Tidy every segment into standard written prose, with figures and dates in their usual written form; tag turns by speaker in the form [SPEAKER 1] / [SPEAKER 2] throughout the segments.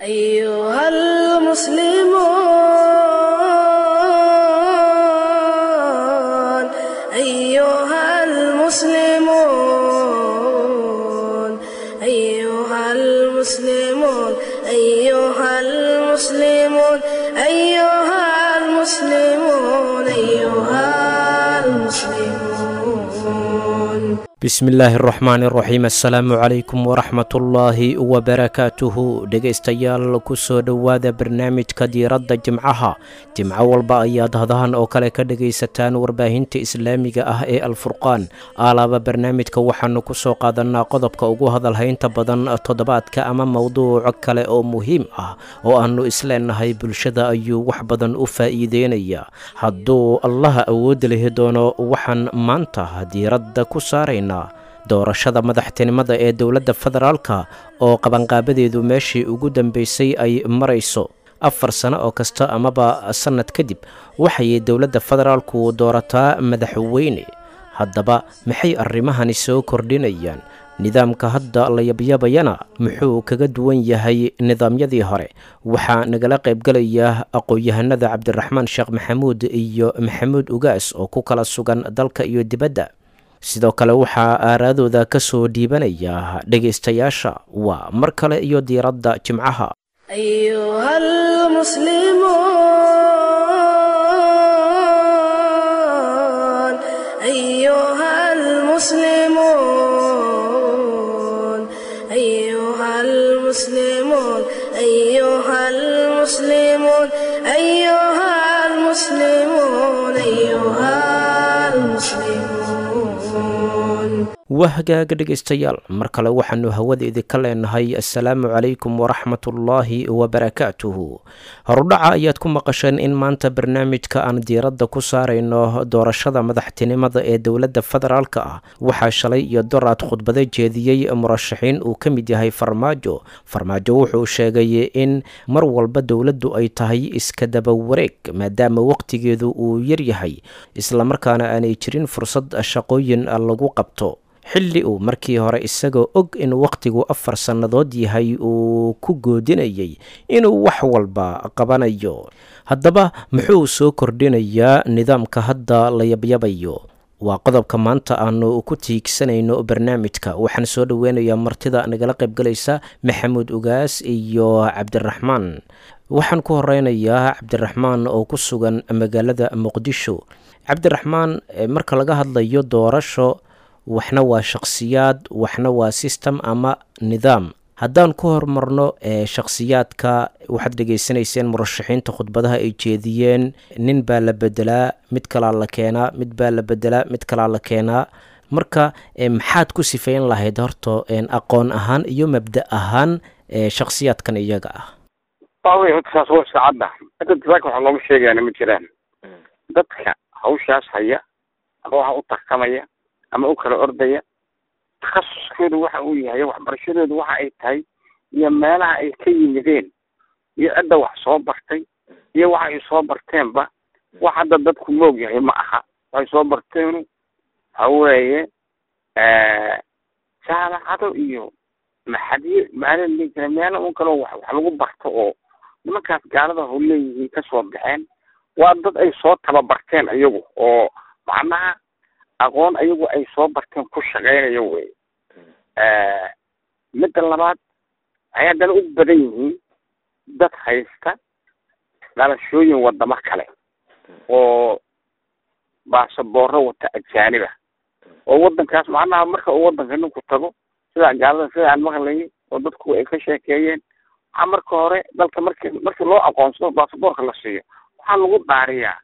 [SPEAKER 1] أيها المسلمون، أيها المسلمون، أيها المسلمون، أيها المسلمون، أيها المسلمون.
[SPEAKER 2] Bismillaahi araxmaani araxiim, assalaamu calaykum waraxmatullaahi wabarakaatuhu. Dhegaystayaal, kusoo dhowaada barnaamijka Diiradda Jimcaha. Jimco walba ayaad hadahan oo kale ka dhegaysataan warbaahinta islaamiga ah ee Alfurqaan. Aalaaba barnaamijka waxaanu kusoo qaadanaa qodobka ugu hadalhaynta badan toddobaadka ama mowduuc kale oo muhiim ah oo aanu isleenahay bulshada ayuu wax badan u faa'iideynaya. Hadduu Allaha awood lihi doono, waxaan maanta diiradda ku saaraynaa doorashada madaxtinimada ee dowladda federaalka oo qabanqaabadeedu meeshii ugu dambeysay ay marayso. 4 sano oo kasta amaba sannad kadib waxay dowladda federaalku doorataa madaxweyne. Haddaba maxay arrimahani soo kordhinayaan? Nidaamka hadda la yabyabayana muxuu kaga duwan yahay nidaamyadii hore? Waxaa nagala qaybgalaya aqoon-yahanada Cabdiraxmaan Sheekh Maxamuud iyo Maxamuud Ugaas oo ku kala sugan dalka iyo dibadda. Sidoo kale waxaa aaraadooda ka soo dhiibanaya dhegaystayaasha. Waa mar kale iyo Diiradda Jimcaha.
[SPEAKER 1] أيها المسلمون، أيها المسلمون، أيها المسلمون، أيها المسلمون، أيها المسلمون.
[SPEAKER 2] Waa hagaaga, dhegaystayaal, mar kale waxaanu hawada idinka leenahay assalaamu calaykum waraxmatullaahi wabarakaatuhu. Horudhaca ayaad ku maqasheen in maanta barnaamijka aan diiradda ku saarayno doorashada madaxtinimada ee dowladda federaalka ah. Waxaa shalay iyo doraad khudbado jeediyey murashaxiin uu ka mid yahay Farmaajo. Farmaajo wuxuu sheegay in mar walba dowladdu ay tahay iska daba wareeg, maadaama waqtigeedu uu yaryahay, islamarkaana aanay jirin fursad shaqooyin lagu qabto, xilli uu markii hore isagoo og in wakhtigu 4 sannadood yahay uu ku goodinayay inuu wax walba qabanayo. Haddaba muxuu soo kordhinayaa nidaamka hadda la yabyabayo? Waa qodobka maanta aanu ku tiigsanayno barnaamijka. Waxaan soo dhoweynayaa martida nagala qaybgalaysa, Maxamuud Ugaas iyo Cabdiraxmaan. Waxaan ku horeynayaa Cabdiraxmaan oo ku sugan magaalada Muqdisho. Cabdiraxmaan, marka laga hadlayo doorasho, waxna waa shakhsiyaad, waxna waa system ama nidaam. Haddaan ku horumarno shakhsiyaadka, waxaad dhegaysanayseen murashaxiinta khudbadaha ay jeediyeen. Nin baa la bedelaa, mid kalaa la keenaa, mid baa la bedelaa, mid kalaa la keenaa. Marka maxaad ku sifeyn lahayd horta aqoon ahaan iyo mabda ahaan shakhsiyaadkan iyaga ah?
[SPEAKER 3] Waawey, horta saas waa iska cadda. Hadda dadka waxa looma sheegayaana ma jiraan. Dadka hawshaas haya ama waxa u tartamaya ama u kala ordaya, takhasuskoodu waxa uu yahay, waxbarashadoodu waxa ay tahay, iyo meelaha ay ka yimideen, iyo cidda wax soo bartay, iyo waxa ay soo barteenba, wax hadda dadku moog yahay ma aha. Waxay soo barteenu waxa weeye jaamacado iyo maxadiyo maala dhihi jira, meelo un kaloo wax lagu barto oo nimankaas gaalada ho leeyihiin kasoo baxeen. Waa dad ay soo tababarteen iyagu oo macnaha aqoon ayagu ay soo barteen ku shaqeynayo wey. Midda labaad, waxay haddana u badan yihiin dad haysta dhalashooyin wadamo kale oo baasaboorro wata ajaaniba oo waddankaas macnaha marka uu waddanka ninku tago, sida gaalada, sida aan maqlayay oo dadku ay ka sheekeeyeen, waxaa marka hore dalka marki loo aqoonsado, baasaboorka la siiyo, waxaa lagu dhaariyaa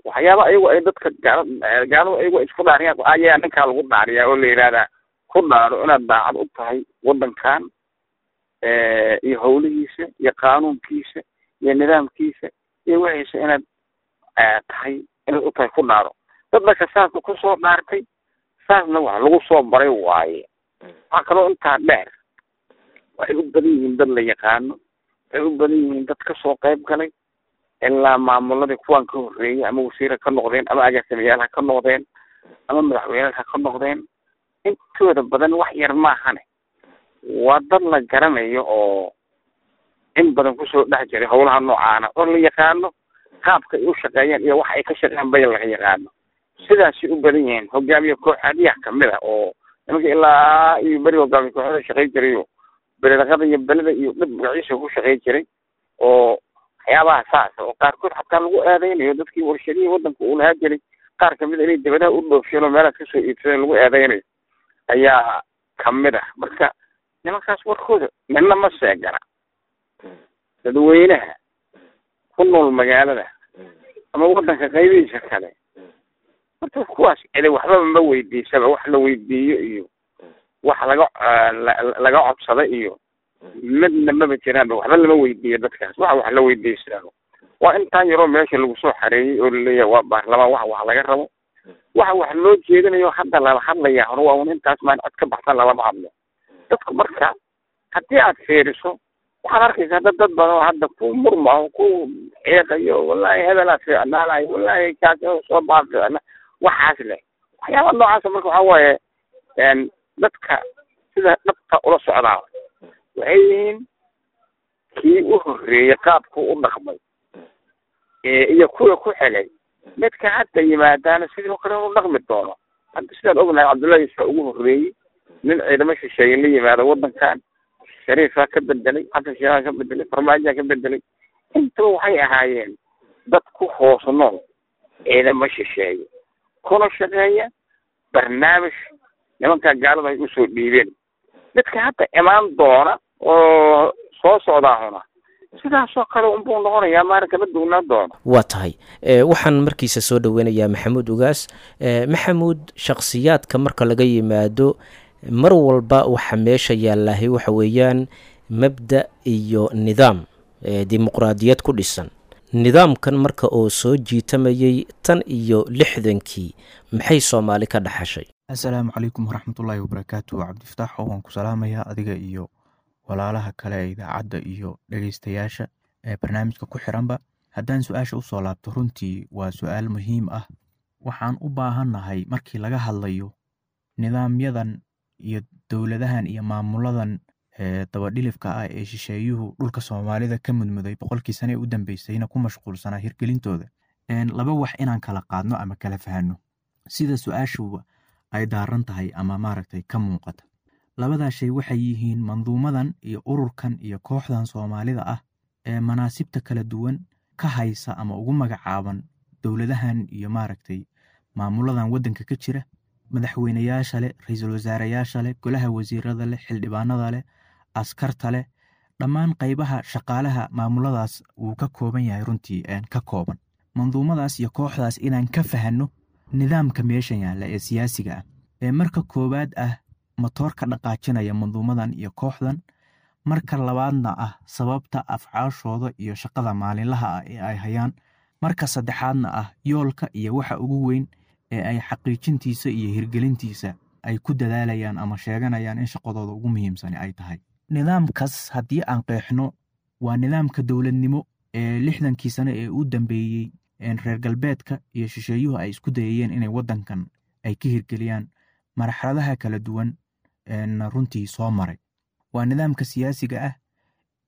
[SPEAKER 3] waxyaaba ayagu ay dadka gaala gaaladu ayagu ay isku dhaariyaan ayaa ninkaa lagu dhaariyaa oo la yidhahdaa ku dhaaro inaad daacad u tahay waddankan iyo howlihiisa iyo qaanuunkiisa iyo nidaamkiisa iyo wixiisa inaad tahay, inaad u tahay ku dhaaro. Dad marka saasna kusoo dhaartay, saasna wax lagu soo baray waaye. Waxaa kaloo intaa dheer, waxay u badan yihiin dad la yaqaano, waxay u badan yihiin dad kasoo qayb galay ilaa maamuladii kuwaan ka horreeyay, ama wasiir ha ka noqdeen, ama agaasimayaal ha ka noqdeen, ama madaxweyne ha ka noqdeen. Intooda badan, wax yar maahane, waa dad la garanayo oo In badan kusoo dhex jiray howlaha noocaana oo la yaqaano qaabka ay u shaqeeyaan iyo waxa ay ka shaqeeyaan bay laga yaqaano. Sidaasay u badan yihiin hogaamiye kooxaadiyaha kamid a oo nimanka ilaa iyo beri hogaamiye kooxada shaqey jirayo, beledaqada iyo beleda iyo dhib magaciisa ku shaqey jiray oo waxyaabaha saas oo qaarkood xataa lagu eedeynayo dadkii warshadihii wadanka uu lahaa jiray qaar kamid a inay dibadaha u dhoofsheen oo meelahaas kasoo iibsadeen lagu eedeynayo ayaa kamid ah. Marka nimankaas warkooda midna ma seegana. Dadweynaha ku nool magaalada ama wadanka qaybihiisa kale horta kuwaas cidi waxbaba ma weydiisaba, wax la weydiiyo iyo wax laga codsada iyo midna maba jiraanba, waxba lama weydiiyo dadkaas. Waxa wax la weydiistaano waa intaan yaroo meesha lagu soo xareeyey oo laleeyahay waa baarlamaan, wax wax laga rabo, waxa wax loo jeedinayo hadda lala hadlaya hore waa un intaas, maan cod ka baxsan lalama hadlo dadku. Marka haddii aad fiiriso waxaad arkaysaa dad badan oo hadda ku murmaho, ku xiiqayo, wallahi hebelaa fiicnaanayo, wallahi kaas soo baa fiicna, waxaas leh, waxyaaba noocaasa. Marka waxaa waaye dadka sida dhabta ula socdaa waxay yihiin kii u horreeyey qaabku u dhaqmay iyo kuwa ku xigay. Midka hadda yimaadaana sidoo kale u dhaqmi doono. Hadda sidaan ognahay Cabdullahi Yuusuf ugu horreeyey nin ciidamo shisheeye la yimaado waddankan, Shariifaa ka bedelay, Xasan Sheekhaa ka bedelay, Farmaajaa ka bedelay. Intaba waxay ahaayeen dad ku hoos nool ciidamo shisheeye kuna shaqeeya barnaamij nimankaa gaalada ay usoo dhiibeen. Midka hadda imaan doona oo soo socdaahuna sidaasoo kale unbuu noqonayaa, maalin kama duwnaan doono.
[SPEAKER 2] Waa tahay. Waxaan markiisa soo dhoweynayaa Maxamuud Ugaas. Maxamuud, shakhsiyaadka marka laga yimaado, mar walba waxa meesha yaallahay waxa weeyaan mabda iyo nidaam dimuqraadiyad ku dhisan. Nidaamkan marka oo soo jiitamayay tan iyo 60-kii, maxay Soomaali ka dhaxashay?
[SPEAKER 4] Assalaamu calaykum waraxmatullaahi wabarakaatu. Cabdifataax, waan ku salaamayaa adiga iyo walaalaha kale ee idaacadda iyo dhegeystayaasha ee barnaamijka ku xiranba. Haddaan su-aasha usoo laabto, runtii waa su-aal muhiim ah. Waxaan u baahannahay markii laga hadlayo nidaamyadan iyo dowladahan iyo maamuladan dabadhilifka ah ee shisheeyuhu dhulka Soomaalida ka mudmuday 100-kii sane ee u dambeysayna ku mashquulsanaa hirgelintooda, laba wax inaan kala qaadno ama kala fahanno sida su-aashuba ay daaran tahay ama maaragtay ka muuqata. Labadaa shay waxay yihiin manduumadan iyo ururkan iyo kooxdan Soomaalida ah ee manaasibta kala duwan ka haysa ama ugu magacaaban dowladahan iyo maaragtay maamuladan waddanka ka jira, madaxweynayaasha leh, ra-iisul wasaareyaasha leh, golaha wasiirada leh, xildhibaanada leh, askarta leh, dhammaan qaybaha shaqaalaha maamuladaas wuu ka kooban yahay, runtii ka kooban. Manduumadaas iyo kooxdaas inaan ka fahanno nidaamka meeshan yaalla ee siyaasiga ah ee marka koowaad ah matoorka dhaqaajinaya manduumadan iyo kooxdan, marka labaadna ah sababta afcaashooda iyo shaqada maalinlaha ah ee ay hayaan, marka saddexaadna ah yoolka iyo waxa ugu weyn ee ay xaqiijintiisa iyo hirgelintiisa ay ku dadaalayaan ama sheeganayaan in shaqadooda ugu muhiimsani ay tahay. Nidaamkaas haddii aan qeexno, waa nidaamka dowladnimo ee 60-kii sane ee u dambeeyey reer galbeedka iyo shisheeyuhu ay isku dayayeen inay waddankan ay ka hirgeliyaan, marxaladaha kala duwan runtii soo maray. Waa nidaamka siyaasiga ah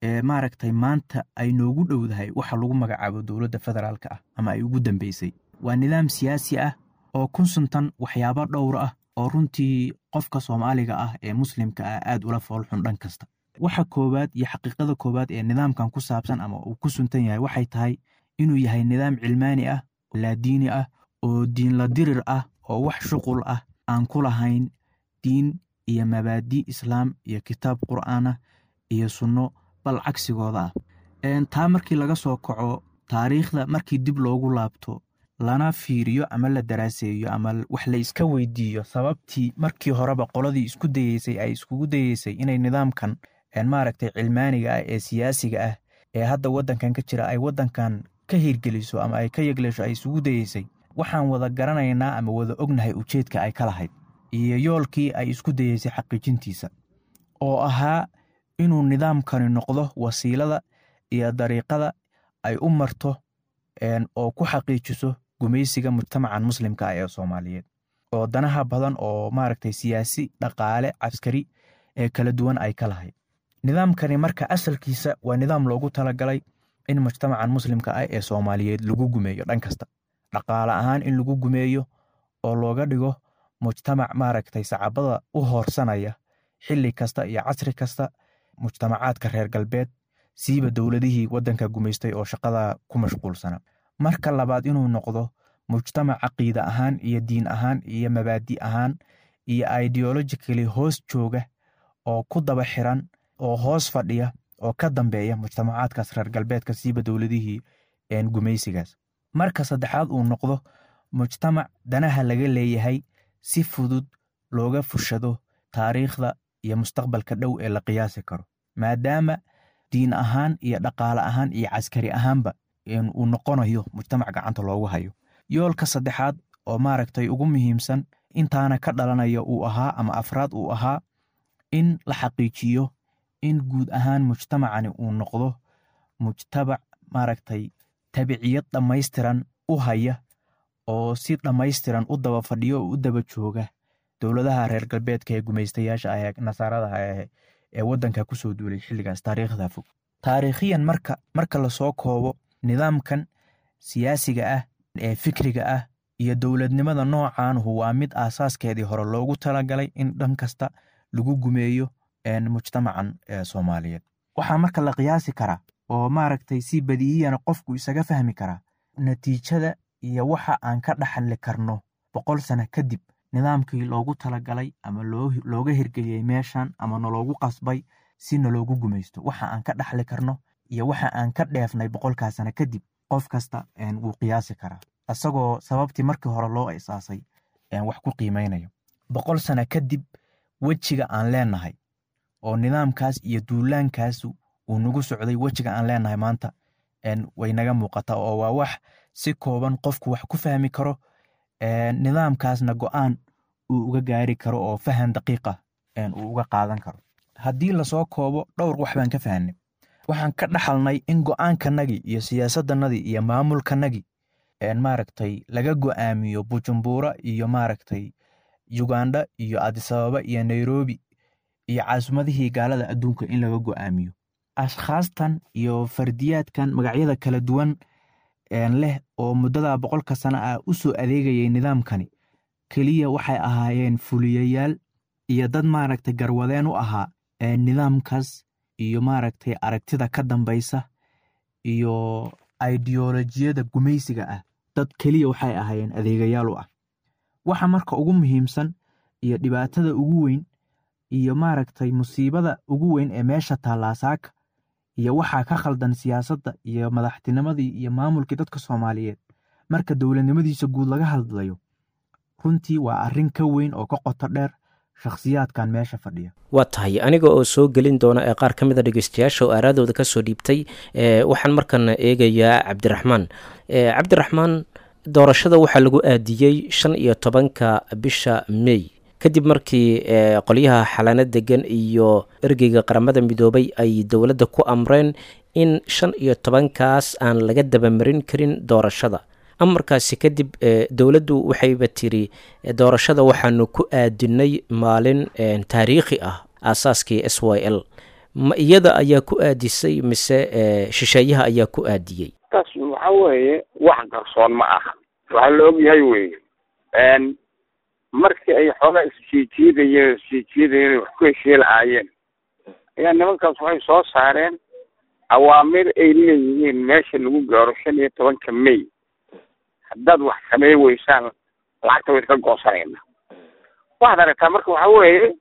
[SPEAKER 4] ee maaragtay maanta ay noogu dhowdahay waxa lagu magacaabo dowladda federaalka ah ama ay ugu dambeysay. Waa nidaam siyaasi ah oo ku suntan waxyaabo dhowr ah oo runtii qofka Soomaaliga ah ee Muslimka ah aad ula foolxun dhan kasta. Waxa koowaad iyo xaqiiqada koowaad ee nidaamkan ku saabsan ama uu ku suntan yahay waxay tahay inuu yahay nidaam cilmaani ah, laadiini ah, oo diin la dirir ah, oo wax shuqul ah aan ku lahayn diin iyo mabaadi islaam iyo kitaab qur'aan ah iyo sunno, bal cagsigooda ah. Taa markii laga soo kaco, taariikhda markii dib loogu laabto lana fiiriyo ama la daraaseeyo ama wax la iska weydiiyo sababtii markii horeba qoladii isku dayeysay ay iskugu dayeysay inay nidaamkan maaragtay cilmaaniga ah ee siyaasiga ah ee hadda waddankan ka jira ay waddankan ka hirgeliso ama ay ka yegleesho ay isugu dayeysay, waxaan wada garanaynaa ama wada ognahay ujeedka ay ka lahayd iyo yoolkii ay isku dayeysay xaqiijintiisa, oo ahaa inuu nidaamkani noqdo wasiilada iyo dariiqada ay u marto oo ku xaqiijiso gumaysiga mujtamacan Muslimka ah ee Soomaaliyeed, oo danaha badan oo maaragtay siyaasi, dhaqaale, caskari ee kala duwan ay ka lahayd. Nidaamkani marka asalkiisa waa nidaam loogu talagalay in mujtamacan muslimka ah ee Soomaaliyeed lagu gumeeyo dhan kasta, dhaqaale ahaan in lagu gumeeyo oo looga dhigo mujtamac maaragtay sacabada u hoorsanaya xilli kasta iyo casri kasta mujtamacaadka reer galbeed, siiba dowladihii waddanka gumaystay oo shaqada ku mashquulsana. Marka labaad, inuu noqdo mujtamac caqiida ahaan iyo diin ahaan iyo mabaadi ahaan iyo ideologically hoos jooga oo ku daba xiran oo hoos fadhiya oo ka dambeeya mujtamacaadkaas reer galbeedka, siiba dowladihii gumaysigaas. Marka saddexaad, uu noqdo mujtamac danaha laga leeyahay si fudud looga fushado taariikhda iyo mustaqbalka dhow ee la qiyaasi karo, maadaama diin ahaan iyo dhaqaale ahaan iyo caskari ahaanba uu noqonayo mujtamac gacanta loogu hayo. Yoolka saddexaad oo maaragtay ugu muhiimsan intaana ka dhalanaya uu ahaa, ama afraad uu ahaa, in la xaqiijiyo in guud ahaan mujtamacani uu noqdo mujtamac maaragtay tabiciyad dhammaystiran u haya oo si dhammaystiran u daba fadhiyo oo u daba jooga dowladaha reer galbeedka ee gumaystayaasha ah ee nasaarada ah ee waddanka kusoo duulay xilligaas taariikhda fog. Taariikhiyan marka lasoo koobo, nidaamkan siyaasiga ah ee fikriga ah iyo dowladnimada noocaanhu waa mid aasaaskeedii hore loogu talagalay in dhan kasta lagu gumeeyo mujtamacan Soomaaliyeed. Waxaa marka la qiyaasi karaa oo maaragtay si badiihiyana qofku isaga fahmi karaa natiijada iyo waxa aan ka dhaxli karno 100 sano kadib nidaamkii loogu talagalay ama looga hirgeliyey meeshan ama naloogu qasbay si naloogu gumaysto. Waxa aan ka dhaxli karno iyo waxa aan ka dheefnay 100-kaa sano kadib qof kasta wuu qiyaasi karaa, isagoo sababtii markii hore loo isaasay wax ku qiimeynayo. 100 sano kadib wejiga aan leenahay oo nidaamkaas iyo duulaankaas uu nagu socday, wejiga aan leenahay maanta way naga muuqataa, oo waa wax si kooban qofku wax ku fahmi karo, nidaamkaasna go'aan uu uga gaari karo oo fahan daqiiqa uu uga qaadan karo. Haddii lasoo koobo, dhowr wax baan ka fahanay. Waxaan ka dhaxalnay in go'aankanagii iyo siyaasaddanadii iyo maamulkanagii maaragtay laga go'aamiyo Bujumbura iyo maaragtay Uganda iyo Adisababa iyo Nairobi iyo caasimadihii gaalada adduunka in laga go'aamiyo. Ashkhaastan iyo fardiyaadkan magacyada kala duwan leh oo muddada 100-ka sano ah u soo adeegayay nidaamkani keliya waxay ahaayeen fuliyayaal iyo dad maaragtay garwadeen u ahaa nidaamkaas iyo maaragtay aragtida ka dambaysa iyo ideolojiyada gumaysiga ah. Dad keliya waxay ahaayeen adeegayaal u ah. Waxa marka ugu muhiimsan iyo dhibaatada ugu weyn iyo maaragtay musiibada ugu weyn ee meesha taallaa saaka iyo waxaa ka khaldan siyaasadda iyo madaxtinimadii iyo maamulkii dadka Soomaaliyeed marka dowladnimadiisa guud laga hadlayo, runtii waa arrin ka weyn oo ka qoto dheer shakhsiyaadkan meesha fadhiya.
[SPEAKER 2] Waa tahay. Aniga oo soo gelin doona ee qaar ka mid a dhegeystayaasha oo aaraadooda kasoo dhiibtay, waxaan markan eegayaa Cabdiraxmaan. Cabdiraxmaan, doorashada waxaa lagu aadiyey 15-ka bisha May, kadib markii qolyaha xalaano degan iyo ergeyga Qaramada Midoobay ay dowladda ku amreen in 15-kaas aan laga dabamarin karin doorashada. Amarkaasi kadib dowladdu waxayba tiri doorashada waxaanu ku aadinay maalin taariikhi ah, aasaaskii SYL. Ma iyada ayaa ku aadisay mise shisheeyaha ayaa ku aadiyey?
[SPEAKER 3] Taas waxa weeye wax qarsoon ma aha, waxaa la ogyahay weye. Markii ay xoogaa isjiijiidayeen wax ku heshii lahaayeen ayaa nimankaas waxay soo saareen awaamir ay leeyihiin meesha lagu gaaro 15-ka May haddaad wax samey weysaan lacagta way iska goosanayna. Waxaad aragtaa marka waxa weeye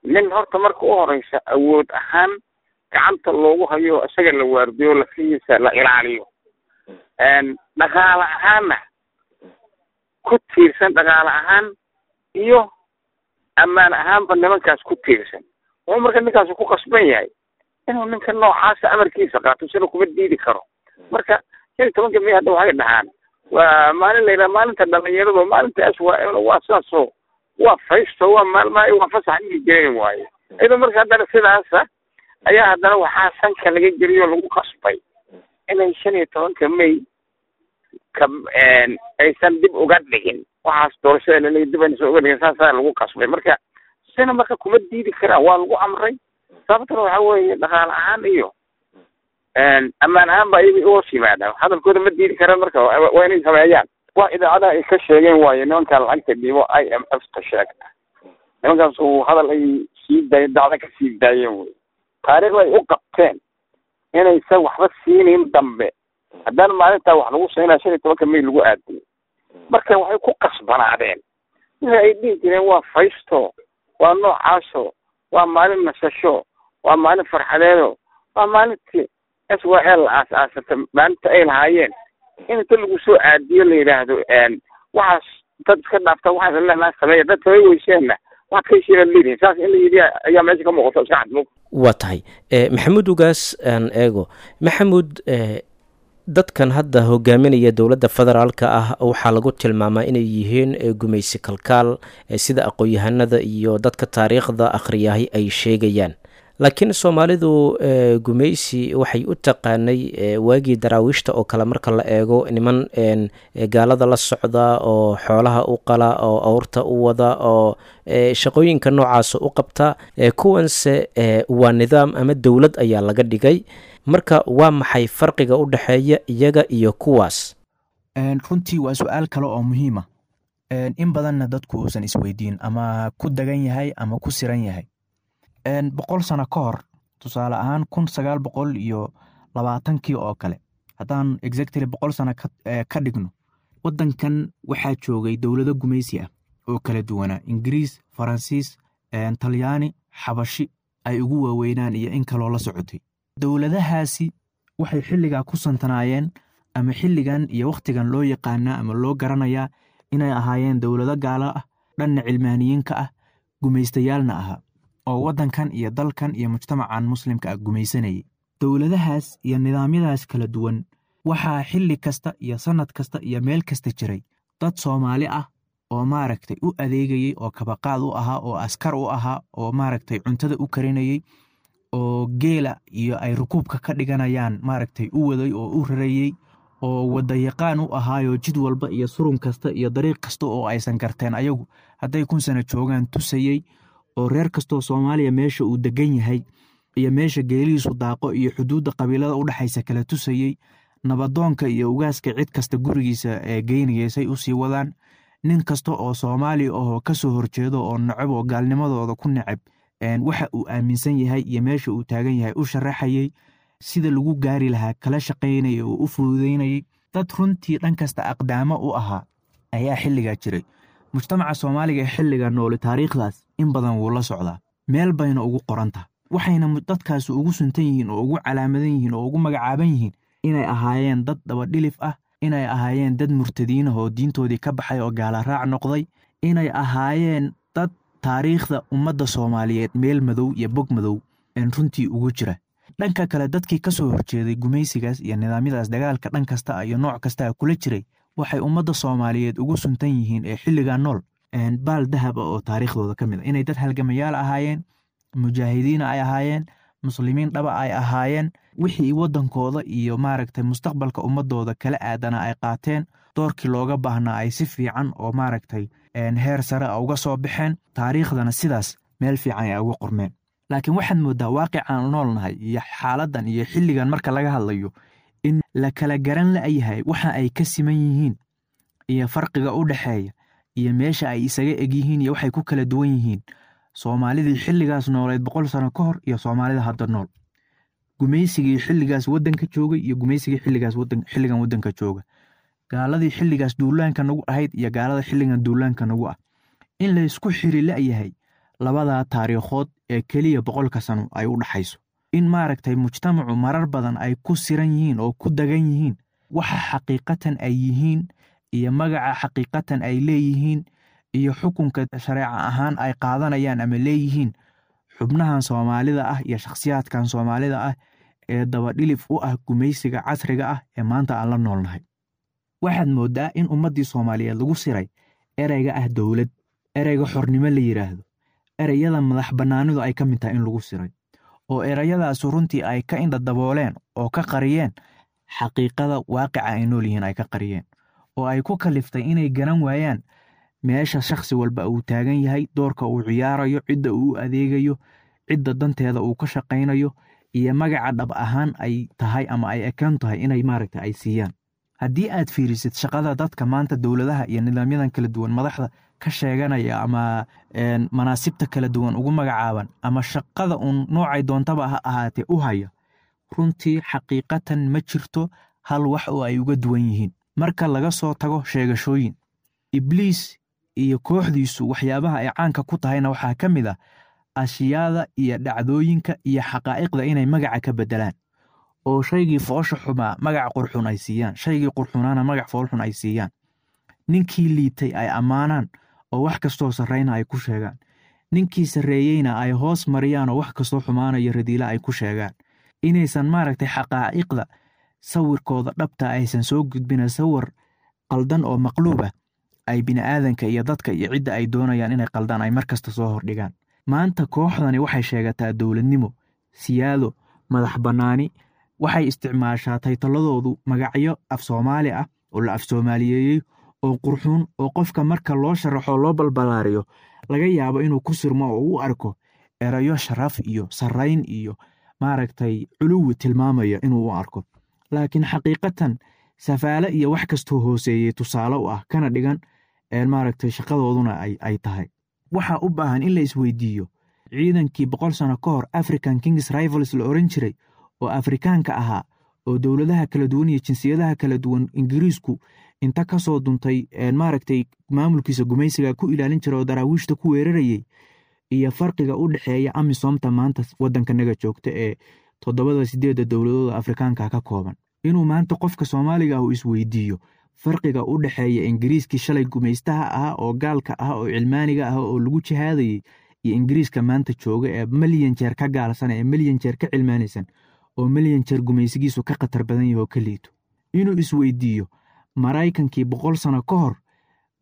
[SPEAKER 3] nin horta marka u horeysa awood ahaan gacanta loogu hayo, isaga la waardiyo, lafihiisa la ilaaliyo, dhaqaale ahaanna ku tiirsan, dhaqaale ahaan iyo ammaan ahaanba nimankaas ku tiirsan. Wuxuu marka ninkaas ku qasban yahay inuu ninka noocaasa amarkiisa qaato, sina kuma diidi karo. Marka 15-ka May hadda waxay dhahaan waa maalin la yidhaha maalinta dhalinyaradu, maalinta aswa, waa saasoo waa faysto, waa maalmaha waa fasax dhigi jireen waaye. Iyadoo marka haddana sidaasa ayaa haddana waxaa sanka laga geliyo lagu qasbay inay 15-ka May ka aysan dib uga dhigin waxaas doorashada laleeyahy, dib aysan uga dhigin, saasaa lagu qasbay. Marka sina marka kuma diidi karaan, waa lagu amray. Sababtuna waxa weeye dhaqaale ahaan iyo ammaan ahaan ba iyaga uhoos yimaadaan, hadalkooda ma diidi karaan. Marka waa inay sameeyaan wax idaacadaha ay ka sheegeen waayo nimankaa lacagta dhiibo IMF ta sheegta, nimankaas uu hadal ay sii daayeen, dacda ka sii daayeen wey. Taariikhda ay u qabteen inaysan waxba siinin dambe haddana maalintaa wax lagu siinaya 15-ka May lagu aadiyay. Marka waxay ku qasbanaadeen wixii ay dhihi jireen waa faysto, waa noocaaso, waa maalin nasasho, waa maalin farxadeedo, waa maalintii SYL la aas-aasata, maalinta ay lahaayeen in inta lagu soo aadiyo la yidhaahdo waxaas dad iska dhaafta, waxaas leenaa sameeya, dad samey weyseenna waxaad ka heshiinaad leedihin. Saas in la yidhi ayaa meesha ka muuqato iska cadmug.
[SPEAKER 2] Waa tahay, Maxamuud Ugaas aan eego. Maxamuud, dadkan hadda hogaaminaya dowladda federaalka ah waxaa lagu tilmaamaa inay yihiin gumaysi kalkaal, sida aqoon-yahanada iyo dadka taariikhda akhriyahay ay sheegayaan. Laakiin Soomaalidu gumaysi waxay u taqaanay waagii Daraawiishta oo kale, marka la eego niman gaalada la socda oo xoolaha u qala oo awrta u wada oo shaqooyinka noocaasa u qabta. Kuwanse waa nidaam ama dowlad ayaa laga dhigay. Marka waa maxay farqiga u dhexeeya iyaga iyo kuwaas?
[SPEAKER 4] Runtii waa su-aal kale oo muhiima, in badanna dadku uusan isweydiin ama ku dagan yahay ama ku siran yahay. 100 sano ka hor, tusaale ahaan 1920-kii oo kale, haddaan exactly 100 sano ka dhigno, waddankan waxaa joogay dowlado gumaysi ah oo kala duwanaa: Ingiriis, Faransiis, Talyaani, Xabashi ay ugu waaweynaan iyo in kaloo la socotay. Dowladahaasi waxay xilligaa ku santanaayeen ama xilligan iyo wakhtigan loo yaqaanaa ama loo garanayaa inay ahaayeen dowlado gaalo ah, dhanna cilmaaniyiinka ah, gumaystayaalna ahaa, oo waddankan iyo dalkan iyo mujtamacan muslimka ah gumaysanayay. Dowladahaas iyo nidaamyadaas kala duwan waxaa xilli kasta iyo sannad kasta iyo meel kasta jiray dad Soomaali ah oo maaragtay u adeegayey, oo kabaqaad u ahaa, oo askar u ahaa, oo maaragtay cuntada u karinayey, oo geela iyo ay rukuubka ka dhiganayaan maaragtay u waday oo u rarayey, oo wadayaqaan u ahaayoo jid walba iyo surun kasta iyo dariiq kasta oo aysan garteen ayagu hadday 1000 sano joogaan tusayey, oo reer kastoo Soomaaliya meesha uu degan yahay iyo meesha geelihiisu daaqo iyo xuduudda qabiilada u dhexaysa kala tusayey, nabadoonka iyo ugaaska cid kasta gurigiisa ee geynayay say usii wadaan. Nin kasta oo Soomaali ahoo kasoo horjeedo oo necab oo gaalnimadooda ku necab waxa uu aaminsan yahay iyo meesha uu taagan yahay u sharaxayey, sida lagu gaari lahaa kala shaqaynayay oo u fududeynayay. Dad runtii dhan kasta aqdaamo u ahaa ayaa xilligaa jiray. Mujtamaca Soomaaliga ee xilliga nooli taariikhdaas in badan wuu la socdaa, meel bayna ugu qorantaha. Waxayna dadkaasi ugu suntan yihiin oo ugu calaamadan yihiin oo ugu magacaaban yihiin inay ahaayeen dad dabadhilif ah, inay ahaayeen dad murtadiin ah oo diintoodii ka baxay oo gaala raac noqday, inay ahaayeen dad taariikhda ummadda Soomaaliyeed meel madow iyo bog madow runtii ugu jira. Dhanka kale, dadkii ka soo horjeeday gumaysigaas iyo nidaamyadaas dagaalka dhan kasta iyo nooc kasta kula jiray waxay ummadda Soomaaliyeed ugu suntan yihiin ee xilligaa nool baal dahab ah oo taariikhdooda ka mid a, inay dad halgamayaal ahaayeen, mujaahidiina ay ahaayeen, muslimiin dhaba ay ahaayeen, wixii waddankooda iyo maaragtay mustaqbalka ummadooda kala aadana ay qaateen, doorkii looga baahnaa ay si fiican oo maaragtay heer sare a uga soo baxeen, taariikhdana sidaas meel fiican ay uga qormeen. Laakiin waxaad mooddaa waaqicaan noolnahay iyo xaaladdan iyo xilligan marka laga hadlayo in la kala garan la'yahay waxa ay ka siman yihiin iyo farqiga u dhexeeya iyo meesha ay isaga eg yihiin iyo waxay ku kala duwan yihiin Soomaalidii xilligaas nooleed 100 sano ka hor iyo Soomaalida hadda nool, gumaysigii xilligaas waddanka joogay iyo gumaysigii xilligaas wadan xilligan waddanka jooga, gaaladii xilligaas duulaanka nagu ahayd iyo gaalada xilligan duulaanka nagu ah, in la isku xiri la'yahay labadaa taariikhood ee keliya 100-ka sano ay u dhaxayso, in maaragtay mujtamacu marar badan ay ku siran yihiin oo ku dagan yihiin waxa xaqiiqatan ay yihiin iyo magaca xaqiiqatan ay leeyihiin iyo xukunka shareeca ahaan ay qaadanayaan ama leeyihiin xubnahan Soomaalida ah iyo shakhsiyaadkan Soomaalida ah ee dabadhilif u ah gumaysiga casriga ah ee maanta aan la noolnahay. Waxaad mooddaa in ummaddii Soomaaliyeed lagu siray ereyga ah dowlad, ereyga xornimo la yidhaahdo, ereyada madax bannaanidu ay ka mid tahay in lagu siray, oo ereyadaasu runtii ay ka indha dabooleen oo ka qariyeen xaqiiqada waaqica ay nool yihiin, ay ka qariyeen oo ay ku kaliftay inay garan waayaan meesha shakhsi walba uu taagan yahay, doorka uu ciyaarayo, cidda uu u adeegayo Cidda danteeda uu ka shaqaynayo iyo magaca dhab ahaan ay tahay ama ay ekaan tahay inay maaragta ay siiyaan. Haddii aad fiirisid shaqada dadka maanta dowladaha iyo nidaamyadan kala duwan madaxda ka sheeganaya ama manaasibta kala duwan ugu magacaaban ama shaqada uun noocay doontaba ha ahaatee u haya, runtii xaqiiqatan ma jirto hal wax oo ay uga duwan yihiin marka laga soo tago sheegashooyin. Ibliis iyo kooxdiisu waxyaabaha ay caanka ku tahayna waxaa ka mid ah ashyaada iyo dhacdooyinka iyo xaqaa'iqda inay magaca ka beddelaan, oo shaygii foosha xumaa magac qurxun ay siiyaan, shaygii qurxunaana magac foolxun ay siiyaan, ninkii liitay ay ammaanaan oo wax kastoo sarrayna ay ku sheegaan, ninkii sarreeyeyna ay hoos mariyaan oo wax kastoo xumaanayo radiila ay ku sheegaan. Inaysan maaragtay xaqaa'iqda sawirkooda dhabta aysan soo gudbina, sawir qaldan oo maqluub ah ay bini'aadanka iyo dadka iyo cidda ay doonayaan inay qaldaan ay markasta soo hordhigaan. Maanta kooxdani waxay sheegataa dowladnimo, siyaado, madax bannaani. Waxay isticmaashaa taytaladoodu magacyo af Soomaali ah oo la af Soomaaliyeeyey oo qurxuun, oo qofka marka loo sharaxo loo balbalaariyo laga yaabo inuu ku sirmo oo u arko erayo sharaf iyo sarrayn iyo maaragtay culuwi tilmaamaya inuu u arko, laakiin xaqiiqatan safaale iyo wax kastoo hooseeyey tusaale u ah kana dhigan maaragtay shaqadooduna ay tahay. Waxaa u baahan in la isweydiiyo ciidankii 100 sano ka hor African Kings Rivals la oran jiray oo Afrikaanka ahaa oo dowladaha kala duwan iyo jinsiyadaha kala duwan Ingiriisku inta ka soo duntay maaragtay maamulkiisa gumaysiga ku ilaalin jiray oo daraawiishta ku weerarayay, iyo farqiga u dhexeeya AMISOMta maanta waddankanaga joogta ee 7 8 dowladooda Afrikaanka ka kooban. Inuu maanta qofka Soomaaliga ah uu isweydiiyo farqiga u dhexeeya Ingiriiskii shalay gumaystaha ahaa oo gaalka ah oo cilmaaniga ah oo lagu jihaadayay iyo Ingiriiska maanta jooga ee milyan jeer ka gaalsan, ee milyan jeer ka cilmaanaysan, oo milyan jeer gumaysigiisu ka khatar badan yahay oo ka liito. Inuu isweydiiyo Maraykankii 100 sano ka hor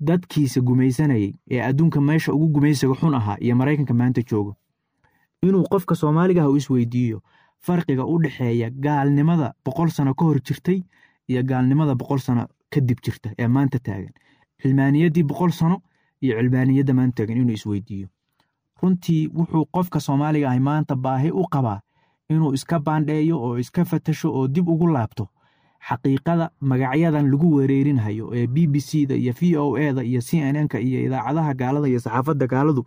[SPEAKER 4] dadkiisa gumaysanayay ee adduunka meesha ugu gumaysiga xun ahaa iyo Maraykanka maanta jooga. Inuu qofka Soomaaliga ah uu isweydiiyo farqiga u dhexeeya gaalnimada 100 sano ka hor jirtay iyo gaalnimada 100 sano kadib jirta ee maanta taagan, cilmaaniyaddii 100 sano iyo cilmaaniyadda maanta taagan inuu isweydiiyo. Runtii wuxuu qofka Soomaaliga ahi maanta baahi u qabaa inuu iska baandheeyo oo iska fatasho oo dib ugu laabto xaqiiqada magacyadan lagu wereerinhayo ee BBC-da iyo VOA-da iyo CNN-ka iyo idaacadaha gaalada iyo saxaafadda gaaladu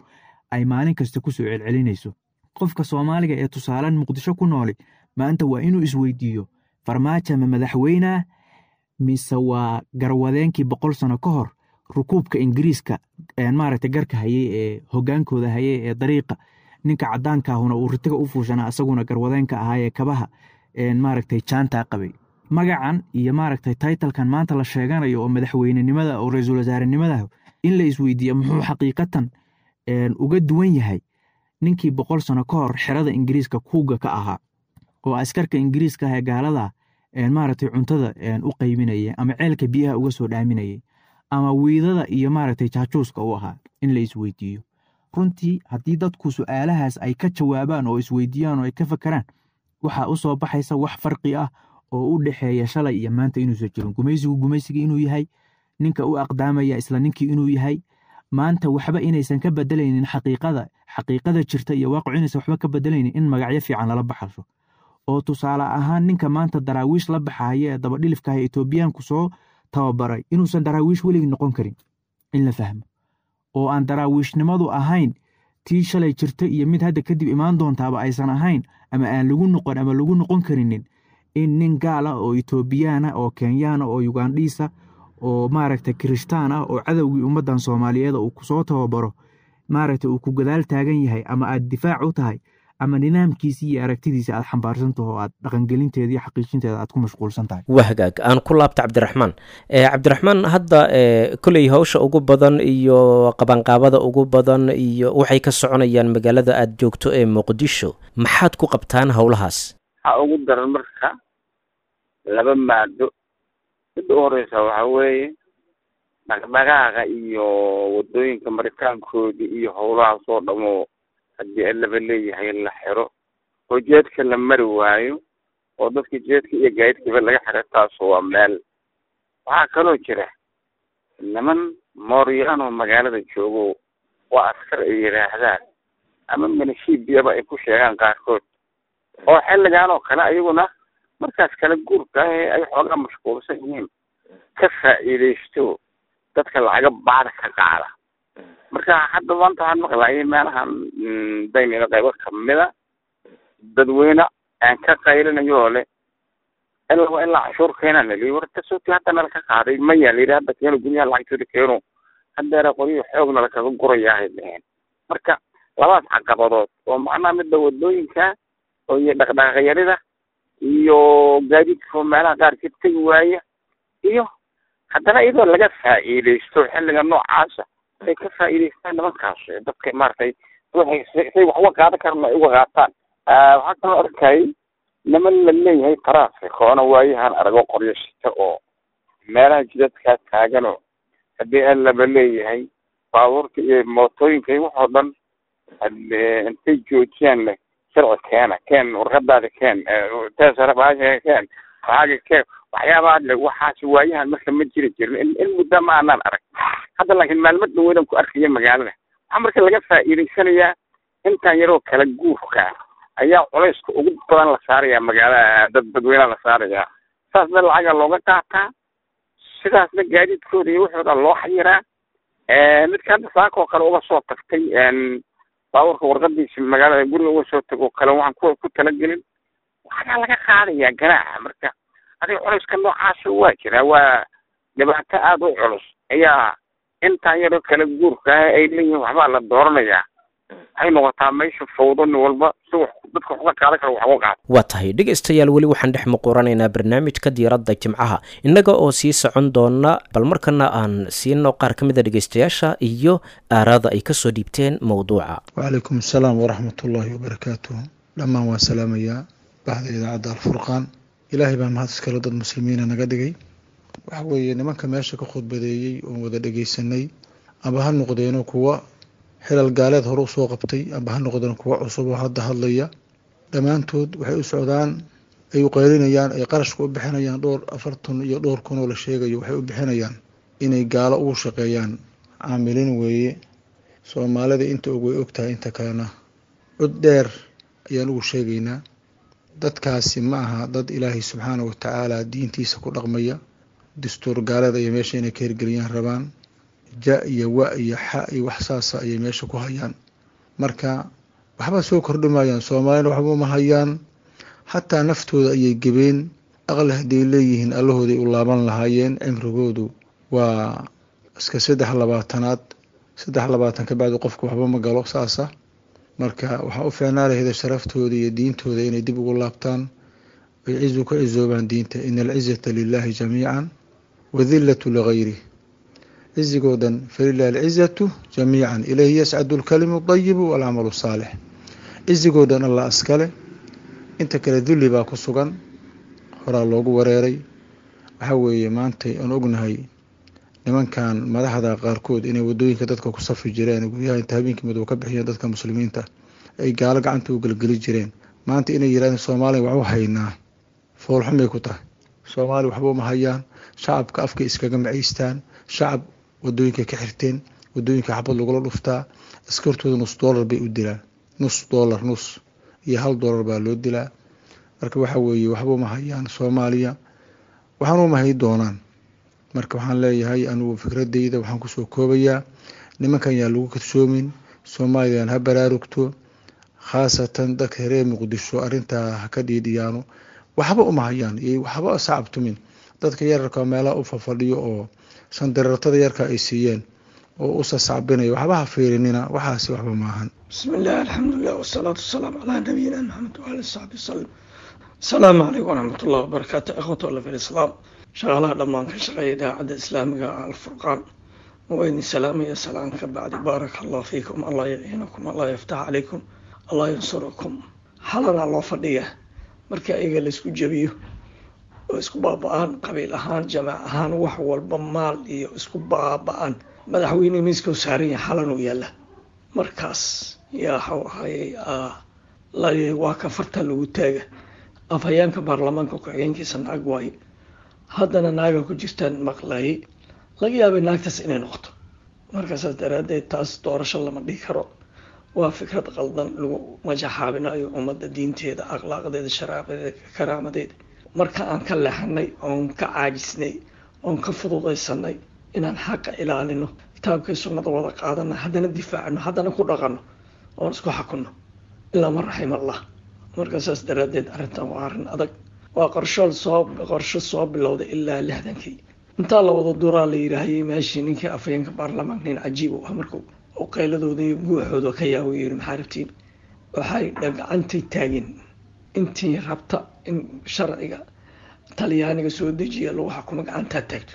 [SPEAKER 4] ay maalin kasta ku soo celcelinayso. Qofka Soomaaliga ee tusaalan Muqdisho ku nooli maanta waa inuu isweydiiyo Farmaajo ma madaxweynaa mise waa garwadeenkii 100 sano ka hor rukuubka Ingiriiska maaragtay garka hayay ee hoggaankooda hayay ee dariiqa ninka caddaanka ahuna uu ritiga u fuushanaa, asaguna garwadeenka ahaa ee kabaha maaragtay jaantaa qabay. Magacan iyo maaragtay taytalkan maanta la sheeganayo oo madaxweynenimada oo ra-iisul wasaarenimada in la isweydiiyo muxuu xaqiiqatan uga duwan yahay ninkii 100 sano ka hor xerada Ingiriiska kuuga ka ahaa oo askarka Ingiriiska ah ee gaalada maaragtay cuntada u qaybinayay ama ceelka biyaha uga soo dhaaminayay ama wiidada iyo maaragtay jaajuuska u ahaa in la isweydiiyo. Runtii haddii dadku su'aalahaas ay ka jawaabaan oo isweydiiyaan oo ay ka fakaraan, waxaa u soo baxaysa wax farqi ah oo u dhexeeya shalay iyo maanta inuusan jirin. Gumaysigu gumaysigii inuu yahay, ninka u aqdaamaya isla ninkii inuu yahay, maanta waxba inaysan ka bedelaynin xaqiiqada, xaqiiqada jirta iyo waaqicu inaysan waxba ka bedelaynin in magacyo fiican lala baxasho. Oo tusaale ahaan ninka maanta daraawiish la baxaya ee dabadhilifka ah ee Etoobiyaanku soo tababaray inuusan daraawiish weligii noqon karin in la fahmo, oo aan daraawiishnimadu ahayn tii shalay jirta iyo mid hadda kadib imaan doontaaba aysan ahayn ama aan lagu noqon ama lagu noqon karinin in nin gaal ah oo Etoobiyaan ah oo Kenyaan ah oo Ugandhiis ah oo maaragtay Kirishtaan ah oo cadowgii ummaddan Soomaaliyeed uu ku soo tababaro maaragtay uu ku gadaal taagan yahay ama aad difaac u tahay ama nidaamkiisii iyo aragtidiisa aad xambaarsan taho oo aad dhaqangelinteeda iyo xaqiijinteeda aad ku mashquulsan tahay.
[SPEAKER 2] Waa hagaag, aan ku laabta Cabdiraxmaan. Cabdiraxmaan, hadda kolley hawsha ugu badan iyo qabanqaabada ugu badan iyo waxay ka soconayaan magaalada aad joogto ee Muqdisho, maxaad ku qabtaan howlahaas?
[SPEAKER 3] Waxaa ugu daran marka laba maado. Midda u horeysa waxaa weeye dhaqdhaqaaqa iyo waddooyinka maritaankoodii iyo howlahaas oo dhamo haddii alaba leeyahay la xiro oo jeedka la mari waayo oo dadka jeedka iyo gaadiidkaba laga xiro, taasu waa meel. Waxaa kaloo jira niman mooryaanoo magaalada joogo waa askar ay yidhaahdaan Ama minishiibiyaba ay ku sheegaan qaarkood, oo xilligan oo kale ayaguna markaas kala guurka ah ee ay xoogaa mashquulsan yihiin ka faa'iidaysto dadka lacaga baada ka qaada. Marka hadda maanta waxaan maqlayay meelahan daynina qaybo kamida dadweyne aan ka qaylinayo oo leh ilaa waa ilaa cashuur keenaan laliyi, war tasootii hadda nala ka qaaday maya layidhi, hadda keeno guryaha lacagtooda keeno, haddeera qoryihi xoog nala kaga gurayaa ay dheheen. Marka labadaas caqabadood oo macnaha midda wadooyinka oo iyo dhaqdhaqaaqyarida iyo gaadiidka meelaha qaarkeed tegi waaya, iyo haddana iyadoo laga faa'iidaysto xilliga noocaasa ay ka faa'iidaystaan nimankaas dadka maaragtay waxay say wax uga qaadan karaan ay uga qaataan. Waxaa kaloo arkayay niman la leeyahay traffic oona waayahan arago qoryo shita oo meelaha jidadkaa taaganoo haddii allaba leeyahay baabuurta iyo mootooyinka iyo waxoo dhan intay joojiyaan leh sharci keena, keen warqadaada, keen teesara baasha, keen lacaaga, keen waxyaabaha le. Waxaas waayahan marka ma jiri jirin, in muddo ma aanaan arag hadda, laakiin maalmo dhaweydaan ku arkaya magaalada. Waxaa marka laga faa'iidaysanayaa intaan yaroo kala guurka ayaa culayska ugu badan la saarayaa magaalada, dad dadweynaha la saarayaa, saasna lacaga looga qaataa, sidaasna gaadiidkooda iyo waxooda loo xayiraa. Midka hadda saaka oo kale uga soo tagtay baabuurka warqadiisa magaalada guriga uga soo tago kale waxaan ku talagelin waxaa laga qaadayaa ganaaxa. Marka adiga culayska noocaasa waa jiraa, waa dhibaato aada u culus ayaa intaan yaroo kala guurka ah ay leeyihiin waxbaa la dooranayaa, waxay noqotaa meesha fawdo, nin walba si wax dadka wax uga qaadan karo wax uga qaado.
[SPEAKER 2] Waa tahay dhegaystayaal, weli waxaan dhex muquranaynaa barnaamijka diiradda jimcaha innaga oo sii socon doona, bal markana aan siino qaar ka mid a dhegaystayaasha iyo aaraada ay kasoo dhiibteen mowduuca.
[SPEAKER 5] Wacalaykum asalaam waraxmatullaahi wabarakaatuh. Dhammaan waan salaamayaa baxda idaacadda Alfurqaan. Ilaahay baa mahad iskale dad muslimiina naga dhigay. Waxa weeye nimanka meesha ka khudbadeeyey oon wada dhegaysanay, amba ha noqdeeno kuwa xilal gaaleed hore usoo qabtay, amba ha noqdeen kuwa cusub oo hadda hadlaya, dhammaantood waxay u socdaan ay u qaylinayaan ay qarashka u bixinayaan dhowr 40 iyo dhowr kun oo la sheegayo, waxay u bixinayaan inay gaalo ugu shaqeeyaan. Caamilin weeye. Soomaalida inta og way ogtahay, inta kalena cod dheer ayaan ugu sheegaynaa. Dadkaasi ma aha dad Ilaahay subxaana wa tacaala diintiisa ku dhaqmaya. Dastuur gaalada iyo meesha inay ka hirgeliyaan rabaan, ja iyo wa iyo xa iyo wax saasa ayay meesha ku hayaan. Marka waxba soo kordhimayaan, soomaalina waxba uma hayaan, xataa naftooda ayay gebeen. Aqli hadday leeyihiin allahooday u laaban lahaayeen. Cimrigoodu waa iska 23aad, 23 ka bacdi qofku waxba ma galo saasa. Marka waxaa u fiicnaa lahayda sharaftooda iyo diintooda inay dib ugu laabtaan ay cizu ka cizoobaan diinta. Ina alcizata lilahi jamiican wadillatu ligayrih. Cizigoo dhan falilahi alcizatu jamiican, ilayhi yascadu alkalimu dayibu walcamalu saalix. Cizigoo dhan Allah askale, inta kale dulli baa ku sugan, horaa loogu wareeray. Waxaa weeye maantay aan ognahay nimankan madaxda qaarkood inay wadooyinka dadka ku safri jireen, guryaha inta habeenkii madow ka bixiyeen dadka muslimiinta ay gaalo gacanta u gelgeli jireen, maanta inay yirahdeen Soomaaliya wax u haynaa, foolxumay ku tahay. Soomaaliya waxba uma hayaan, shacabka afkay iskaga macaystaan, shacab wadooyinka ka xirteen, wadooyinka xabad lagula dhuftaa, askartooda nus doolar bay u dilaan, nus doolar, nus iyo $1 baa loo dilaa. Marka waxa weeye waxba uma hayaan Soomaaliya, waxaana uma hay doonaan. Marka waxaan leeyahay anigu fikradeyda waxaan kusoo koobayaa, nimankan yaa lagu kadsoomin, Soomaaliyaan ha baraarugto, khaasatan dadka reer Muqdisho arrintaa ha ka dhiidhiyaano. Waxba uma hayaan iyo waxba sacabtumin dadka yararka meelaha u fafadhiyo oo sandarartada yarka ay siiyeen oo u sasacbinayo, waxba ha fiirinina, waxaasi waxba maahan.
[SPEAKER 6] Bismi illah, alxamdulilah, wasalaatu wasalaamu calaa nabiyina Maxamed waali saxbi wasalam. Asalaamu calaykum waraxmat ullahi wabarakaatu. Ikhwatu alla fi lislaam, shaqaalaha dhammaan ka shaqeeya idaacadda islaamiga Alfurqaan waa idin salaamaya. Salaan ka bacdi, baaraka allah fiikum, Allah yaciinakum, Allah yaftax calaykum, Allah yansurakum. Xalanaa loo fadhiya marka iyaga laysku jebiyo oo isku baaba-aan qabiil ahaan, jamaac ahaan, wax walba maal iyo isku baaba-aan, madaxweyne miiskau saaran yahay xalan uu yaalla, markaas yaa waxau ahayey waa ka farta lagu taaga. Afhayeenka baarlamaanka ku-xigeenkiisa naag waaye, haddana naaga ku jirtaan maqlayay, laga yaabay naagtaas inay noqoto. Marka saas daraaddeed taas doorasho lama dhihi karo. Waa fikrad qaldan lagu majaxaabinayo ummadda diinteeda, akhlaaqdeeda, sharaabadeeda, karaamadeeda. Marka aan ka leexanay oon ka caajisnay oon ka fududaysanay inaan xaqa ilaalino, kitaabkii sunnada wada qaadano, haddana difaacno, haddana ku dhaqanno oon isku xakunno, ilaa man raxim Allah. Marka saas daraaddeed arrintan waa arrin adag, waa qorshool soo qorsho soo bilowday ilaa 60-kii. Intaa la wada duraa la yidhaahayay meeshii ninkii afhayeenka baarlamaanka, nin cajiib u ah, markuu oo qayladooda iyo guuxooda ka yaabo yiri, maxaa rabtiin? Waxay gacantay taageen intii rabta in sharciga Talyaaniga soo dejiya lagu xukumo gacantaa taagto,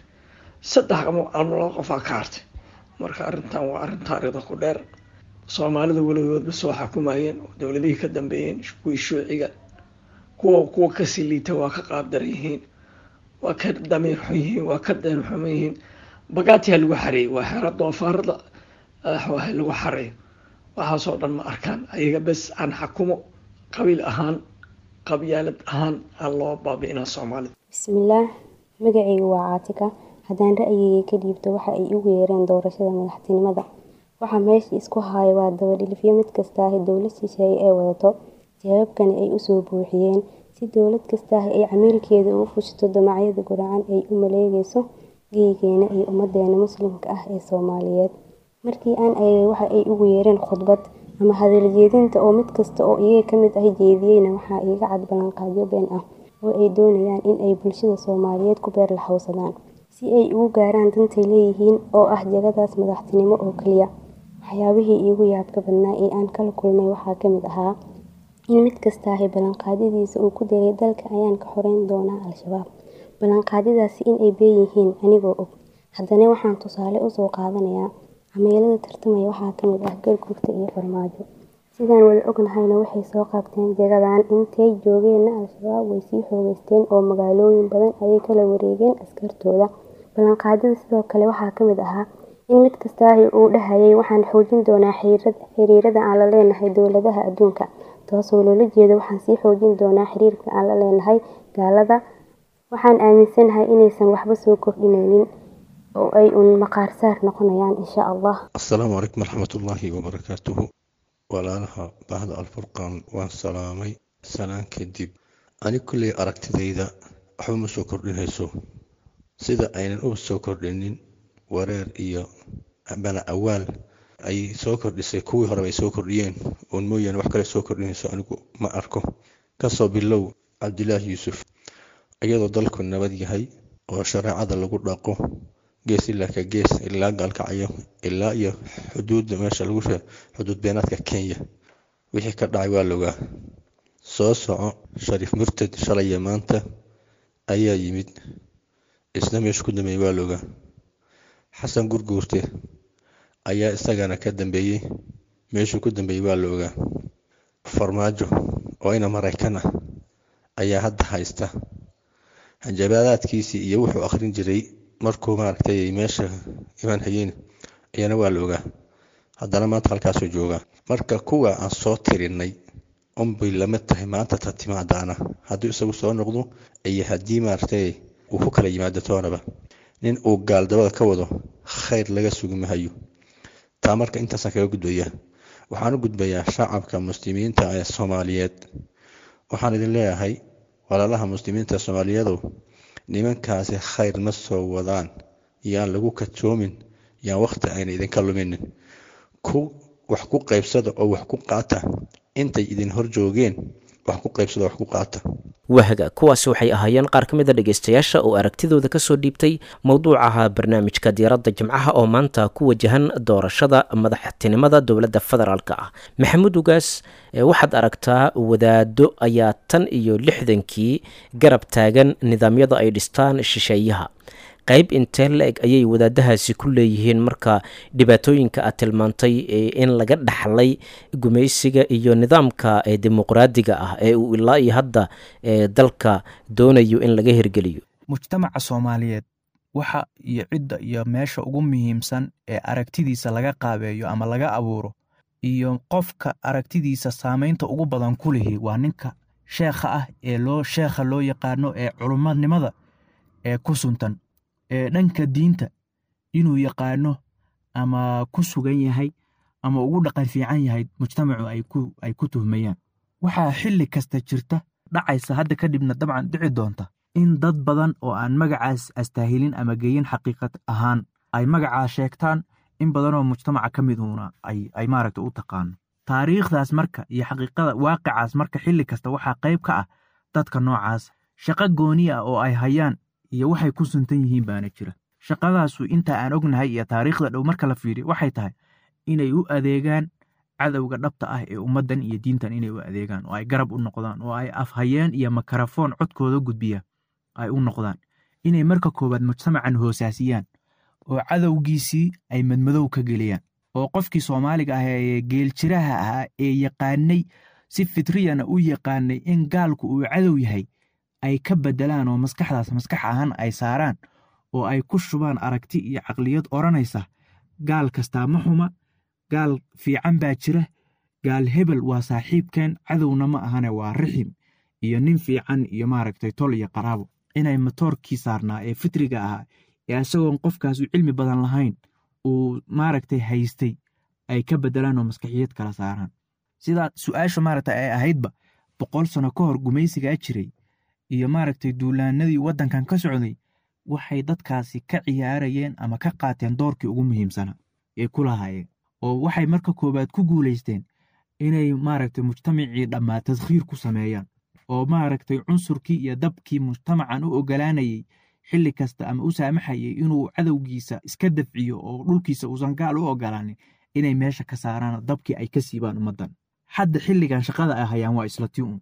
[SPEAKER 6] saddex ama laba qofaa ka hartay. Marka arrintan waa arrin taariikhda ku dheer. Soomaalida weligoodba soo xukumayeen dowladihii ka dambeeyeen, kuwii shuuciga, kuwa kasii liita, waa ka qaabdaran yihiin, waa ka damiir xun yihiin, waa ka deen xuman yihiin. Bagaatiyaa lagu xareeyey, waa xero doofaarada lagu xareeyo. Waxaasoo dhan ma arkaan ayaga, bes aan xakumo qabiil ahaan, qabyaalad ahaan aa loo baabi'inaa Soomaalida.
[SPEAKER 7] Bismillaah, magacaygu waa Caatika. Haddaan ra'yigayga ka dhiibto waxa ay ugu yeereen doorashada madaxtinimada, waxa meesha isku haya waa dabadhilifyo mid kastaahi dowlad shisheeye ee wadato, jawaabkana ay usoo buuxiyeen si dowlad kastaahi ay camiilkeeda ugu fushato damacyada guracan ay u maleegayso geygeena iyo ummadeena Muslimka ah ee Soomaaliyeed. Markii aan eegay waxa ay ugu yeereen khudbad ama hadal jeedinta oo mid kasta oo iyaga ka mid ah jeediyeyna, waxaa iiga cad ballanqaadyo been ah oo ay doonayaan in ay bulshada Soomaaliyeed ku beer laxawsadaan si ay ugu gaaraan dantay leeyihiin oo ah jagadaas madaxtinimo oo kaliya. Waxyaabihii iigu yaabka badnaa ee aan kala kulmay waxaa ka mid ahaa in mid kastaahi ballanqaadyadiisa uu ku daray dalka ayaan ka xoreyn doonaa Al-Shabaab. Ballanqaadyadaasi in ay been yihiin anigoo og, haddana waxaan tusaale usoo qaadanayaa camiilada tartamaya waxaa ka mid ah Gargurta iyo Farmaajo. Sidaan wada ognahayna waxay soo qabteen jagadan, intay joogeenna Al-Shabaab way sii xoogeysteen oo magaalooyin badan ayay kala wareegeen askartooda. Ballanqaadyada sidoo kale waxaa ka mid ahaa in mid kastaahi uu dhahayay waxaan xoojin doonaa xiriirada aan la leenahay dowladaha adduunka, taasoo loola jeedo waxaan sii xoojin doonaa xiriirka aan la leenahay gaalada. Waxaan aaminsanahay inaysan waxba soo kordhinaynin oo ay uun maqaarsaar noqonayaan insha Allah.
[SPEAKER 8] Asalaamu calaykum waraxmatullaahi wabarakaatuhu. Walaalaha bahda Alfurqaan waan salaamay. Salaan kadib, ani kulley aragtidayda waxba ma soo kordhinayso, sida aynan u soo kordhinin wareer iyo bana awaal ay soo kordhisay kuwii horeba ay soo kordhiyeen oon mooyaane, wax kale soo kordhinayso anigu ma arko. Kasoo bilow Cabdilaahi Yuusuf, iyadoo dalku nabad yahay oo shareecada lagu dhaqo gees ilaa ka gees, ilaa Gaalkacyo, ilaa iyo xuduudda meesha lagu xuduud beenaadka Kenya, wixii ka dhacay waa logaa. Soo soco, Shariif Murtad shalaya maanta ayaa yimid, isna meesha ku dambeeyey waa logaa. Xasan Gurguurte ayaa isagana ka dambeeyey, meeshuu ku dambeeyey waa la ogaa. Farmaajo oo ina Maraykan ah ayaa hadda haysta, hanjabaadaadkiisii iyo wuxuu akhrin jiray markuu maaragtay meesha imaan hayeen ayana waa la ogaa, haddana maanta halkaasuu joogaa. Marka kuwa aan soo tirinay unbay lama tahay maanta ta timaadaana, haddii isagu soo noqdo iyo haddii maaragtay uu ku kala yimaado toonaba, nin uu gaaldabada ka wado khayr laga sugi mahayo taa. Marka intaasaan kaga gudbayaa, waxaan u gudbayaa shacabka Muslimiinta ee Soomaaliyeed. Waxaan idin leeyahay walaalaha Muslimiinta Soomaaliyeedow, nimankaasi khayr ma soo wadaan, yaan lagu katoomin, yaan wakhti ayna idinka luminin. Ku wax ku qaybsada oo wax ku qaata intay idin hor joogeen, wax ku qaybsada, wax ku qaata.
[SPEAKER 2] Wahaga, kuwaasi waxay ahaayeen qaar ka mid a dhegaystayaasha oo aragtidooda kasoo dhiibtay mowduucaha barnaamijka diiradda Jimcaha oo maanta ku wajahan doorashada madaxtinimada dowladda federaalka ah. Maxamuud Ugaas, waxaad aragtaa wadaado ayaa tan iyo 60-kii garab taagan nidaamyada ay dhistaan shisheeyaha. Qayb intee la-eg ayay wadaadahaasi ku leeyihiin marka dhibaatooyinka aad tilmaantay in laga dhaxlay gumaysiga iyo nidaamka dimuqraadiga ah ee uu ilaa iyo hadda dalka doonayo in laga hirgeliyo?
[SPEAKER 4] Mujtamaca Soomaaliyeed waxa iyo cidda iyo meesha ugu muhiimsan ee aragtidiisa laga qaabeeyo ama laga abuuro iyo qofka aragtidiisa saamaynta ugu badan ku lihi waa ninka sheekha ah ee loo sheekha loo yaqaano, ee culummadnimada ee ku suntan, ee dhanka diinta inuu yaqaano ama ku sugan yahay Ama ugu dhaqan fiican yahay mujtamacu ay ku tuhmayaan. Waxaa xilli kasta jirta, dhacaysa hadda kadibna dabcan dhici doonta, in dad badan oo aan magacaas astaahilin ama geyin xaqiiqad ahaan ay magacaa sheegtaan, in badanoo mujtamaca ka miduuna ay maaragta u taqaano taariikhdaas. Marka iyo xaqiiqada waaqicaas, marka xilli kasta waxaa qayb ka ah dadka noocaas shaqo gooni ah oo ay hayaan iyo waxay ku suntan yihiin baana jira. Shaqadaasu inta aan ognahay iyo taariikhda dhow marka la fiiriyo waxay tahay inay u adeegaan cadowga dhabta ah ee ummaddan iyo diintan, inay u adeegaan oo ay garab u noqdaan oo ay afhayeen iyo makarafoon codkooda gudbiya ay u noqdaan, inay marka koowaad mujtamacan hoosaasiyaan oo cadowgiisii ay madmadow ka geliyaan, oo qofkii Soomaaliga ah ee geeljiraha ahaa ee yaqaanay, si fitriyana u yaqaanay in gaalku uu cadow yahay, ay ka bedelaan oo maskaxdaas maskax ahaan ay saaraan oo ay ku shubaan aragti iyo caqliyad odhanaysa gaal kastaa ma xuma, gaal fiican baa jira, gaal hebel waa saaxiibkeen, cadowna ma ahane waa rixim iyo nin fiican iyo maaragtay tol iyo qaraabo. Inay matoorkii saarnaa ee fitriga ahaa ee isagoon qofkaas u cilmi badan lahayn uu maaragtay haystay ay ka bedelaan oo maskaxiyad kala saaraan. Sidaa su-aasha maaragtay ay ahaydba, 100 sano ka hor gumaysigaa jiray iyo maaragtay duulaanadii waddankan ka socday, waxay dadkaasi ka ciyaarayeen ama ka qaateen doorkii ugu muhiimsanaa ee ku lahaayeen, oo waxay marka koowaad ku guulaysteen inay maaragtay mujtamacii dhammaa tadkhiir ku sameeyaan, oo maaragtay cunsurkii iyo dabkii mujtamacan u ogolaanayay xilli kasta ama u saamaxayay inuu cadowgiisa iska dafciyo oo dhulkiisa uusan gaal u ogolaanin, inay meesha ka saaraan, dabkii ay ka siibaan ummaddan. Hadda xilligan shaqada ay hayaan waa isla tii un,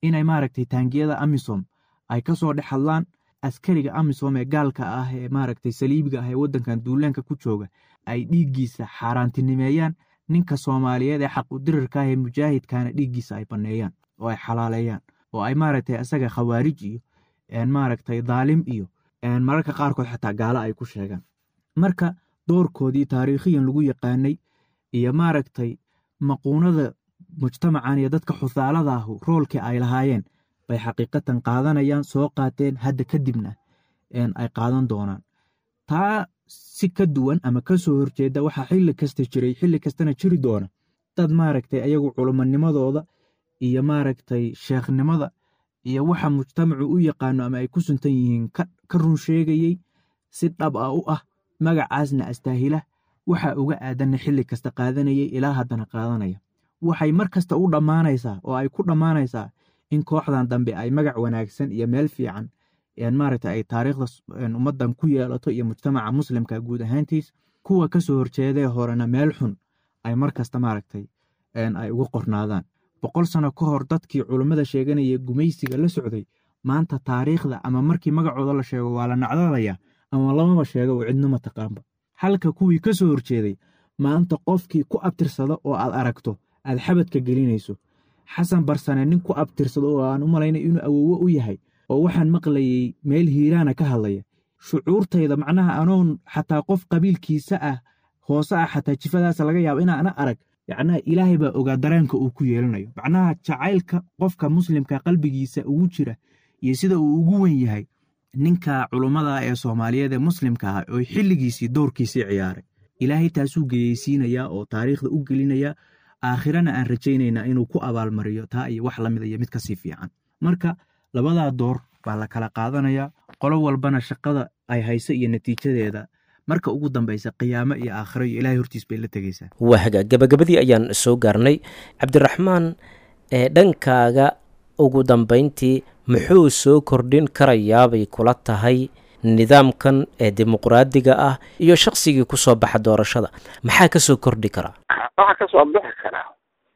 [SPEAKER 4] inay maaragtay taangiyada AMISOM ay ka soo dhex hadlaan, askariga AMISOM ee gaalka ah ee maaragtay saliibiga ah ee waddankan duulaanka ku jooga ay dhiiggiisa xaaraantinimeeyaan, ninka Soomaaliyeed ee xaqudirirka ah ee mujaahidkaana dhiiggiisa ay banneeyaan oo ay xalaaleeyaan, oo ay maaragtay asaga khawaarij iyo maaragtay daalim iyo mararka qaarkood xataa gaalo ay ku sheegaan. Marka doorkoodii taariikhiyan lagu yaqaanay iyo maaragtay maquunada mujtamacan iyo dadka xusaalada ahu roolkii ay lahaayeen bay xaqiiqatan qaadanayaan, soo qaateen, hadda kadibna ay qaadan doonaan. Taa si ka duwan ama ka soo horjeeda waxaa xilli kasta jiray, xilli kastana jiri doona, dad maaragtay ayagu culimanimadooda iyo maaragtay sheekhnimada iyo waxa mujtamacu u yaqaano ama ay ku suntan yihiin ka run sheegayey, si dhab ah u ah, magacaasna astaahila, waxa uga aadanna xilli kasta qaadanayay, ilaa haddana qaadanaya. Waxay mar kasta u dhammaanaysaa oo ay ku dhammaanaysaa in kooxdan dambe ay magac wanaagsan iyo meel fiican maaragta ay taariikhda ummaddan ku yeelato iyo mujtamaca muslimka guud ahaantiis, kuwa ka soo horjeedee horena meel xun ay mar kasta maaragtay ay uga qornaadaan. 100 sano ka hor dadkii culummada sheeganaya gumaysiga la socday, maanta taariikhda ama markii magacooda la sheego waa la nacdalayaa ama lamaba sheego oo cidno ma taqaanba, halka kuwii ka soo horjeeday maanta qofkii ku abtirsada oo aad aragto aad xabadka gelinayso. Xasan Barsane nin ku abtirsado oo aan u malaynay inuu awoowo u yahay, oo waxaan maqlayay meel Hiiraana ka hadlaya, shucuurtayda macnaha anoon xataa qof qabiilkiisa ah hoose ah, xataa jifadaasa laga yaabo inaana arag, yacnaha Ilaahay baa ogaa dareenka uu ku yeelanayo, macnaha jacaylka qofka muslimka qalbigiisa ugu jira iyo sida uu ugu wen yahay ninka culummada ee Soomaaliyeed ee muslimka ah oo xilligiisii doorkiisii ciyaaray. Ilaahay taasuu geyeysiinayaa oo taariikhda u gelinayaa, aakhirana aan rajaynaynaa inuu ku abaalmariyo taa iyo wax lamida iyo mid kasii fiican. Marka labadaa door baa la kala qaadanayaa, qolo walbana shaqada ay hayso iyo natiijadeeda marka ugu dambaysa qiyaamo iyo aakhiro iyo Ilahay hortiis bay la tegaysaa.
[SPEAKER 2] Waa hagaag, gabagabadii ayaan soo gaarnay. Cabdiraxmaan, ee dhankaaga ugu dambayntii muxuu soo kordhin karayaabay kula tahay nidaamkan ee dimuqraadiga ah iyo shaqsigii kusoo baxa doorashada? Maxaa kasoo kordhi karaa?
[SPEAKER 3] Waxa kasoo bixi karaa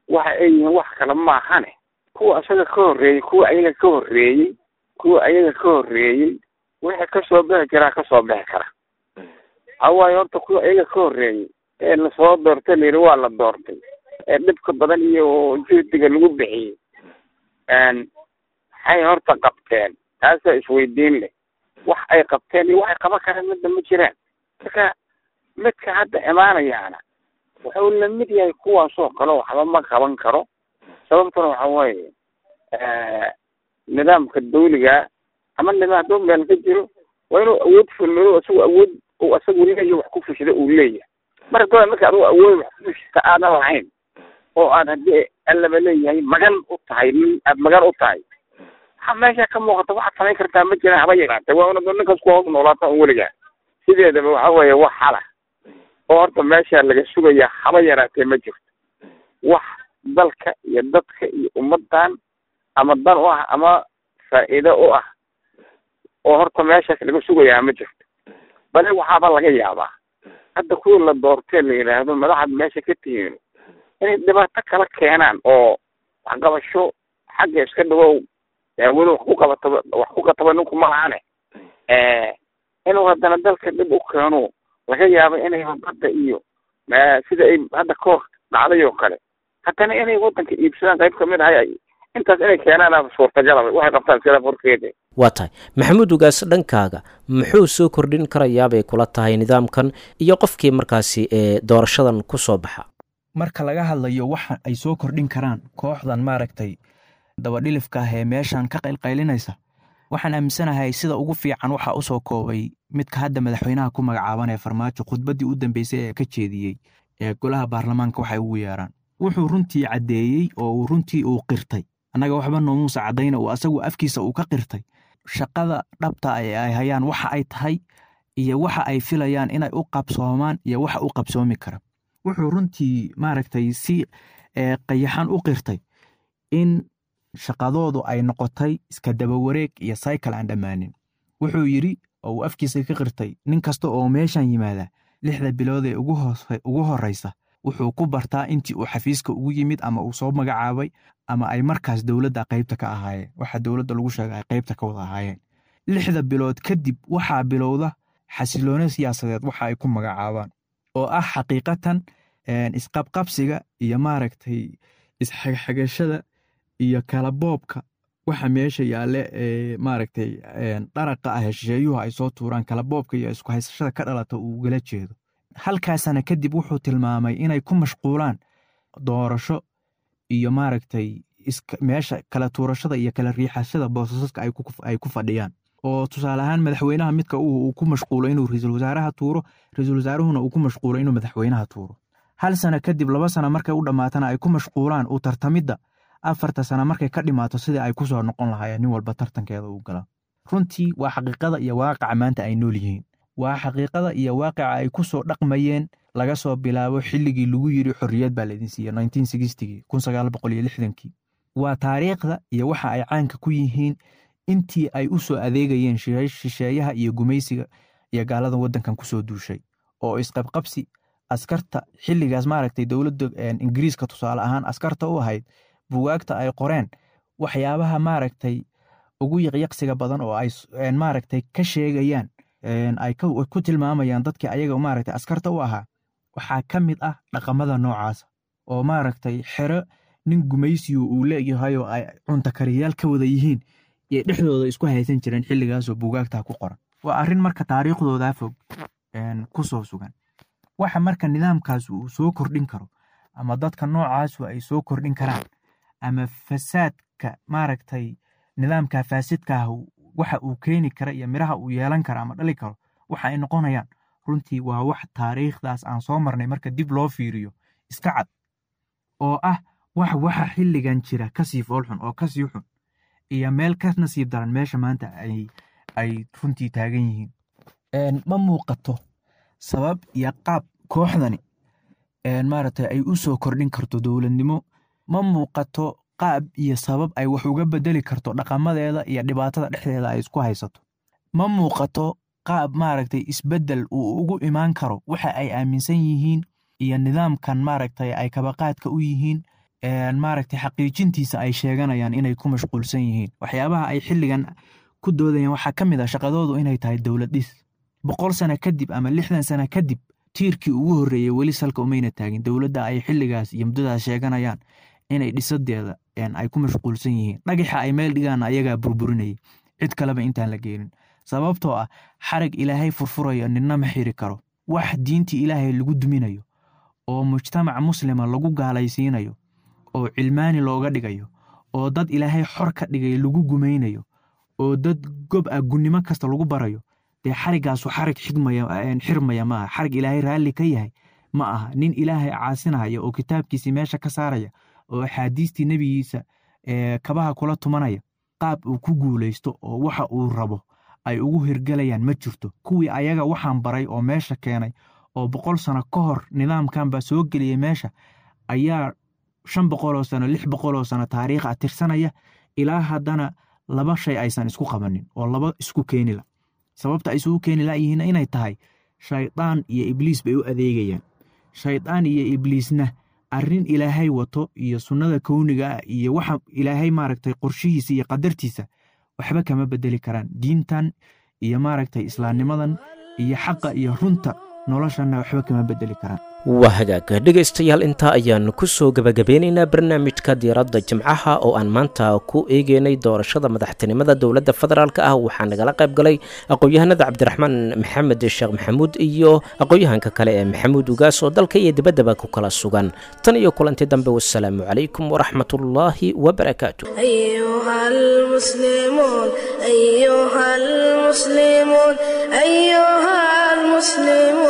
[SPEAKER 3] waxa ay yihiin wax kale maahane, kuwa isaga ka horreeyey, kuwa ayaga ka horreeyey, kuwa ayaga ka horreeyey wixii kasoo bixi karaa kasoo bixi kara. Hawaayo horta kuwa ayaga ka horreeyey ee lasoo doortay, layidhi waa la doortay, ee dhibka badan iyo juhdiga lagu bixiyey, maxay horta qabteen? Taasaa isweydiin leh. Wax ay qabteen iyo waxay qaban karaan midna ma jiraan. Marka midka hadda imaanayaana wuxuu lamid yahay kuwaasoo kale, waxba ma qaban karo. Sababtuna waxa weeye nidaamka dawliga ama nidaam hadduu meel ka jiro waa inuu awood fulmado, isagu awood uu isagu leeyahy wax ku fushida uu leeyahay. Marka marka adigu awood wax kushita aadan lahayn oo aad haddii allaba leeyahay magan u tahay, nin aad magan u tahay, waxa meesha ka muuqata waxaad samayn kartaa ma jiraan haba yaraatee. Waa una ninkaas ku hoos noolaata un weligaa. Sideedaba waxa weeye wax xala oo horta meesha laga sugayaa haba yaraatee ma jirto. Wax dalka iyo dadka iyo ummaddan ama dan u ah ama faa'iido u ah oo horta meeshaas laga sugayaa ma jirto. Bale waxaaba laga yaabaa hadda kuwii la doortee la yidhaahdo madaxaad meesha ka tihiin inay dhibaato kala keenaan oo waxqabasho xagga iska dhawow weli wax ku qabataba, wax ku qataba ninku ma lahane, inuu haddana dalka dhib u keeno laga yaabo inay badda iyo sida ay hadda kahor dhacday oo kale haddana inay waddanka iibsadaan qayb kamid ahay, intaas inay keenaan suurtagalaba waxay qabtaan sila furkeeda.
[SPEAKER 2] Waa tahay Maxamuud Ugaas, dhankaaga muxuu soo kordhin karayaabay kula tahay nidaamkan iyo qofkii markaasi ee doorashadan ku soo baxa?
[SPEAKER 4] Marka laga hadlayo waxa ay soo kordhin karaan kooxdan maaragtay dabadhilifka ah ee meeshan ka qaylqaylinaysa, waxaan aaminsanahay sida ugu fiican waxaa usoo koobay midka hadda madaxweynaha ku magacaaban ee Farmaajo, khudbaddii u dambeysay ee ka jeediyey ee golaha baarlamaanka waxay ugu yeeraan. Wuxuu runtii caddeeyey oo uu runtii uu qirtay, annaga waxba noomuusa caddayna, uu asagu afkiisa uu ka qirtay shaqada dhabta ee ay hayaan waxa ay tahay iyo waxa ay filayaan inay u qabsoomaan iyo waxa u qabsoomi kara. Wuxuu runtii maaragtay si qayaxan u qirtay in shaqadoodu ay noqotay iska dabawareeg iyo cycle aan dhammaanin. Wuxuu yidhi oo uu afkiisa ka qirtay, nin kasta oo meeshan yimaada 6da bilood ee ugu horreysa wuxuu ku bartaa intii uu xafiiska ugu yimid ama uu soo magacaabay ama ay markaas dowladda qaybta ka ahaayeen, waxa dowladda lagu sheegay ay qaybta ka wada ahaayeen. 6da bilood kadib waxaa bilowda xasiloone siyaasadeed waxa ay ku magacaabaan oo ah xaqiiqatan isqabqabsiga iyo maaragtay isxagxagashada iyo kala boobka waxa meesha yaalle ee maaragtay dharaqa ah hesheeyuhu ay soo tuuraan, kala boobka iyo isku haysashada ka dhalata uu ugala jeedo. Halkaasana kadib wuxuu tilmaamay inay ku mashquulaan doorasho iyo maaragtay meesha kala tuurashada iyo kala riixashada boosasaska ay ku fadhiyaan, oo tusaale ahaan madaxweynaha midka uu ku mashquulo inuu ra-iisul wasaaraha tuuro, ra-iisul wasaaruhuna uu ku mashquulo inuu madaxweynaha tuuro. Hal sano kadib, 2 sano markay u dhammaatana ay ku mashquulaan uu tartamidda 4ta sano markay ka dhimaato sidii ay kusoo noqon lahaayeen nin walba tartankeeda uu galaa. Runtii waa xaqiiqada iyo waaqaca maanta ay nool yihiin, waa xaqiiqada iyo waaqica ay ku soo dhaqmayeen laga soo bilaabo xilligii lagu yiri xorriyad baa laydin siiyey 1960gii 1960kii. Waa taariikhda iyo waxa ay caanka ku yihiin intii ay u soo adeegayeen shisheeyaha iyo gumaysiga iyo gaalada waddankan kusoo duushay, oo isqabqabsi askarta xilligaas maaragtay dowladda Ingiriiska tusaale ahaan askarta u ahayd bugaagta ay qoreen waxyaabaha maaragtay ugu yaqyaqsiga badan oo ay maaragtay ka sheegayaan, ay ku tilmaamayaan dadkii ayaga maaragtay askarta u ahaa, waxaa ka mid ah dhaqamada noocaasa oo maaragtay xero nin gumaysiyu uu leeyahay oo ay cunto kariyaal ka wada yihiin iyo dhexdooda isku haysan jireen xilligaasoo bugaagtaa ku qoran. Waa arrin marka taariikhdoodaa fog ku soo sugan. Waxa marka nidaamkaas uu soo kordhin karo ama dadka noocaasu ay soo kordhin karaan ama fasaadka maaragtay nidaamka faasidka ah waxa uu keeni kara iyo miraha uu yeelan kara ama dhali karo waxa ay noqonayaan, runtii waa wax taariikhdaas aan soo marnay marka dib loo fiiriyo iska cad, oo ah wax waxa xilligan jira kasii foolxun oo kasii xun iyo meel ka nasiib daran meesha maanta ay runtii taagan yihiin. Ma muuqato sabab iyo qaab kooxdani maaragtay ay u soo kordhin karto dowladnimo, ma muuqato qaab iyo sabab ay wax uga bedeli karto dhaqamadeeda iyo dhibaatada dhexdeeda ay isku haysato, ma muuqato qaab maaragtay isbeddel uu ugu imaan karo waxa ay aaminsan yihiin iyo nidaamkan maaragtay ay kabaqaadka u yihiin maaragtay xaqiijintiisa ay sheeganayaan inay ku mashquulsan yihiin. Waxyaabaha ay xilligan ku doodayaan waxaa ka mid ah shaqadoodu inay tahay dowlad dhis. 100 sano kadib ama 60 sano kadib tiirkii ugu horreeyey weli salka umayna taagin dowladda ay xilligaas iyo muddadaas sheeganayaan inay dhisadeeda ay ku mashquulsan yihiin. Dhagaxa ay meel dhigaan ayagaa burburinayay, cid kaleba intaan la geenin, sababtoo ah xarag ilaahay furfurayo ninna ma xiri karo. Wax diintii ilaahay lagu duminayo oo mujtamac muslima lagu gaalaysiinayo oo cilmaani looga dhigayo oo dad ilaahay xor ka dhigay lagu gumaynayo oo dad gob ah gunnimo kasta lagu barayo, dee xarigaasu xarig xirmaya maaha, xarig ilaahay raalli ka yahay Ma aha nin Ilaahay caasinaya oo kitaabkiisii meesha ka saaraya oo axaadiistii nebigiisa kabaha kula tumanaya. Qaab uu ku guulaysto oo waxa uu rabo ay ugu hirgelayaan ma jirto. Kuwii ayaga waxaan baray oo meesha keenay oo 100 sano ka hor nidaamkan baa soo geliyey meesha ayaa 500 sano, 600 sano taariikh ah tirsanaya, ilaa haddana laba shay aysan isku qabanin oo laba isku keenila. Sababta ay isugu keeni layihiin inay tahay shaydaan iyo ibliis bay u adeegayaan. Shaydaan iyo ibliisna arrin Ilaahay wato iyo sunnada kowniga ah iyo waxa Ilaahay maaragtay qorshihiisa iyo qadartiisa waxba kama bedeli karaan. Diintan iyo maaragtay islaamnimadan iyo xaqa iyo runta noloshanna waxba kama bedeli karaan.
[SPEAKER 2] Waa hagaag, dhegaystayaal, intaa ayaanu kusoo gabagabeynaynaa barnaamijka Diiradda Jimcaha oo aan maanta ku eegeynay doorashada madaxtinimada dowladda federaalk ah. Waxaa nagala qayb galay aqoon-yahanada Cabdiraxmaan Maxamed Sheekh Maxamuud iyo aqoon-yahanka kale ee Maxamuud Ugaas oo dalka iyo dibaddaba ku kala sugan. Tan iyo kulanti dambe, wasalaamu calaykum waraxmatullaahi wabarakaatu.
[SPEAKER 1] أيها المسلمون، أيها المسلمون، أيها المسلمون.